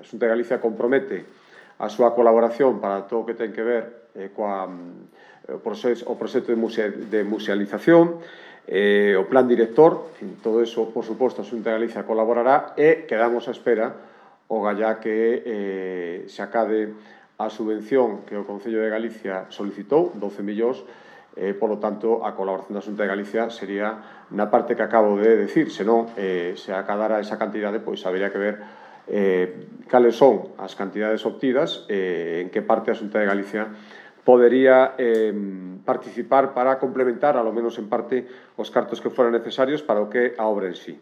Xunta de Galicia compromete a súa colaboración para todo o que ten que ver o proxecto de musealización, o plan director, todo eso, por suposto, a Xunta de Galicia colaborará e quedamos á espera o gallá que se acade a subvención que o Concello de Galicia solicitou, 12 millóns, polo tanto, a colaboración da Xunta de Galicia sería na parte que acabo de decir, senón, se acadara esa cantidade, pois habería que ver cales son as cantidades obtidas, en que parte a Xunta de Galicia podería participar para complementar, alo menos en parte, os cartos que foran necesarios para o que a obra en sí.